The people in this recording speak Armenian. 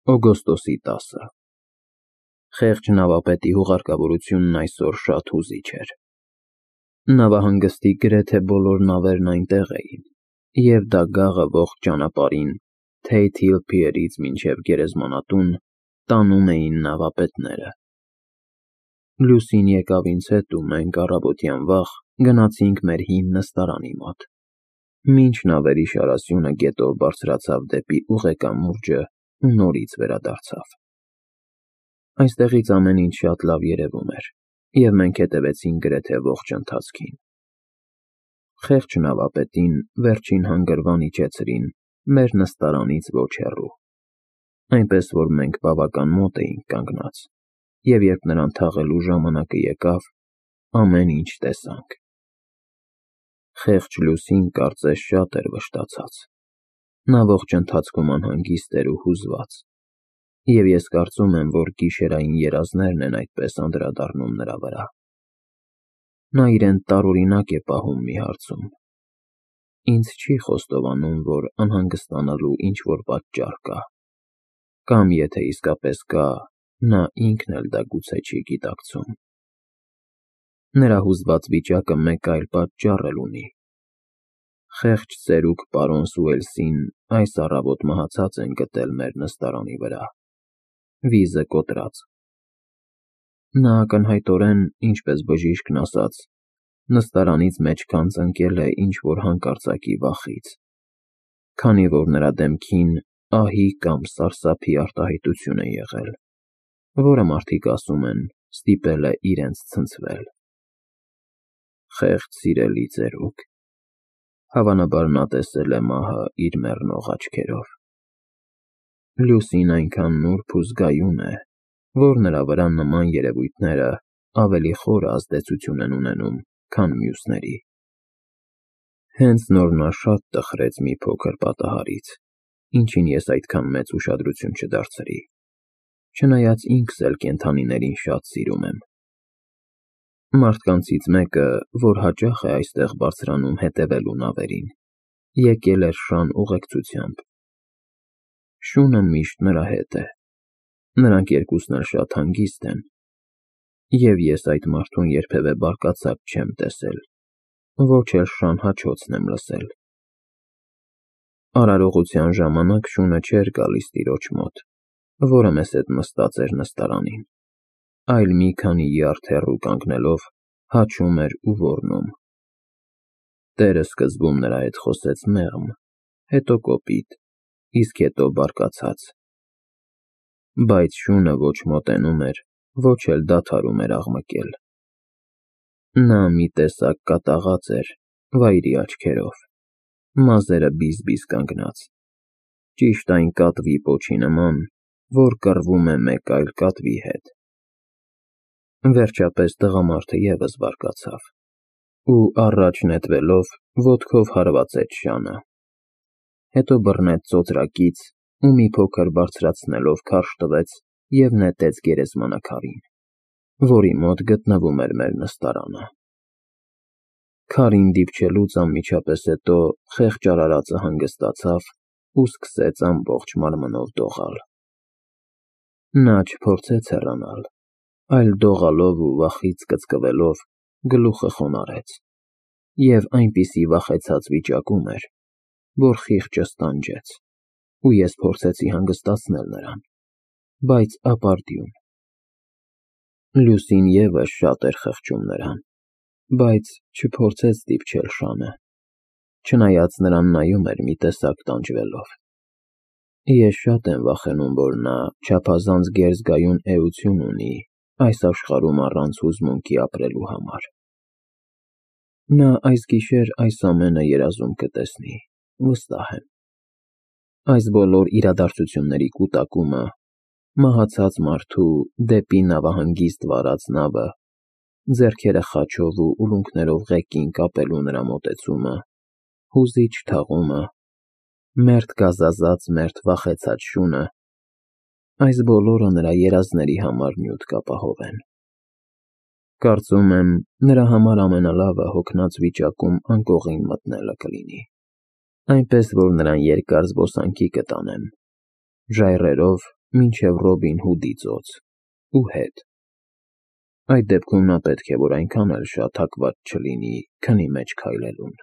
Օգոստոսի 10-ը Խեղճ նավապետի հուղարկավորությունն այսօր շատ հուզիչ էր։ Նավահանգստի գրեթե բոլոր նավերն այնտեղ էին, և դագաղը ողջ ճանապարհին Թեյթ Հիլ փիերից մինչև Գերեզմանատուն տանում էին նավապետները։ Լուսին եկավ ինձ հետ ու մենք առավոտյան վաղ գնացինք մեր հին նստարանի մոտ։ Մինչ նավերի շարասյունը գետով բարձրացավ դեպի ուղեկամուրջը ու նորից վերադարձավ։ Այստեղից ամեն ինչ շատ լավ երևում էր, և մենք հետևեցինք գրեթե ողջ ընթացքին։ Խեղճ նավապետին վերջին հանգրվան իջեցրին մեր նստարանից ոչ հեռու, այնպես որ մենք բավական մոտ էինք կանգնած, և երբ նրան թաղելու ժամանակը եկավ, ամեն ինչ տեսանք։ Խեղճ Լուսին կարծես շատ էր վշտացած։ Նա ողջ ընթացքում անհանգիստ էր ու հուզված, և ես կարծում եմ, որ գիշերային երազներն են այդպես անդրադառնում նրա վրա։ Նա իրեն տարօրինակ է պահում մի հարցում. ինձ չի խոստովանում, որ անհանգստանալու ինչ-որ պատճառ կա, կամ եթե իսկապես կա, նա ինքն էլ դա գուցե չի գիտակցում։ Նրա հուզված վիճակը մեկ այլ պատճառ էլ ունի։ Խեղճ ծերուկ պարոն Սուելսին այս առավոտ մահացած են գտել մեր նստարանի վրա, վիզը կոտրած։ Նա ակնհայտորեն, ինչպես բժիշկն ասաց, նստարանից մեջքան ծնկել է ինչ-որ հանկարծակի վախից, քանի որ նրա դեմքին ահի կամ սարսափի արտահայտություն է եղել, որը մարդիկ ասում են ստիպել է իրենց ցնցվել։ Խեղճ սիրելի ծերուկ, հավանաբար նա տեսել է մահը իր մեռնող աչքերով։ Լուսին այնքան նուրբ ու զգայուն է, որ նրա վրա նման երևույթները ավելի խորը ազդեցություն են ունենում, քան մյուսների։ Հենց նոր նա շատ տխրեց մի փոքր պատահարից, ինչին ես այդքան մեծ ուշադրություն չդարձրի, չնայած ինքս էլ կենդանիներին շատ սիրում եմ։ Մարդկանցից մեկը, որ հաճախ է այստեղ բարձրանում հետևելու նավերին, եկել էր շան ուղեկցությամբ։ Շունը միշտ նրա հետ է, նրանք երկուսն էլ շատ հանգիստ են, և ես այդ մարդուն երբևէ բարկացած չեմ տեսել, ոչ էլ շան հաչոցն եմ լսել։ Արարողության ժամանակ շունը չէր գալիս տիրոջ մոտ, որը մեզ հետ նստած էր նստարանին, այլ մի քանի յարդ հեռու կանգնելով հաչում էր ու ոռնում։ Տերը սկզբում նրա հետ խոսեց մեղմ, հետո կոպիտ, իսկ հետո բարկացած։ Բայց շունը ոչ մոտենում էր, ոչ էլ դադարում էր աղմկել։ Նա մի տեսակ կատաղած էր, վայրի աչքերով, մազերը բիզ-բիզ կանգնած, ճիշտ այն կատվի պոչի նման, որ կռվում է մեկ այլ կատվի հետ։ Վերջապես տղամարդը ևս բարկացավ ու, առաջ նետվելով, ոտքով հարվածեց շանը, հետո բռնեց ծոծրակից ու մի փոքր բարձրացնելով քարշ տվեց և նետեց գերեզմանակարին, որի մոտ գտնվում էր մեր նստարանը։ Քարին դիպչելուց անմիջապես հետո խեղճ արարածը հանգստացավ ու սկսեց ամբողջ մարմնով դողալ։ Նա չփորձեց հեռանալ, այլ դողալով ու վախից կծկվելով գլուխը խոնարհեց, և այնպիսի վախեցած վիճակում էր, որ խիղճը ստանջեց, ու ես փորձեցի հանգստացնել նրան, բայց ապարդյուն։ Լուսին ևս շատ էր խղճում նրան, բայց չփորձեց դիպչել շանը, չնայած նրան նայում էր մի տեսակ տանջվելով։ Ես շատ եմ վախենում, որ նա չափազանց գերզգայուն էություն ունի այս աշխարհում առանց հուզմունքի ապրելու համար։ Նա այս գիշեր այս ամենը երազում կտեսնի, վստահ եմ։ Այս բոլոր իրադարձությունների կուտակումը, մահացած մարդու դեպի նավահանգիստ վարած նավը, ձեռքերը խաչով ու ուլունքներով ղեկին կապելու նրա մոտեցումը, հուզիչ թաղումը, մերթ գազազած, մերթ վախեցած շունը, այս բոլորը նրա երազների համար նյութ կապահովեն։ Կարծում եմ, նրա համար ամենալավը հոգնած վիճակում անկողին մտնելը կլինի, այնպես որ նրան երկար զբոսանքի կտանեմ, ժայռերով մինչև Ռոբին Հուդի ծոց ու հետ։ Այդ դեպքում նա պետք է որ այնքան էլ շատ հակված չլինի քնի մեջ քայլելուն։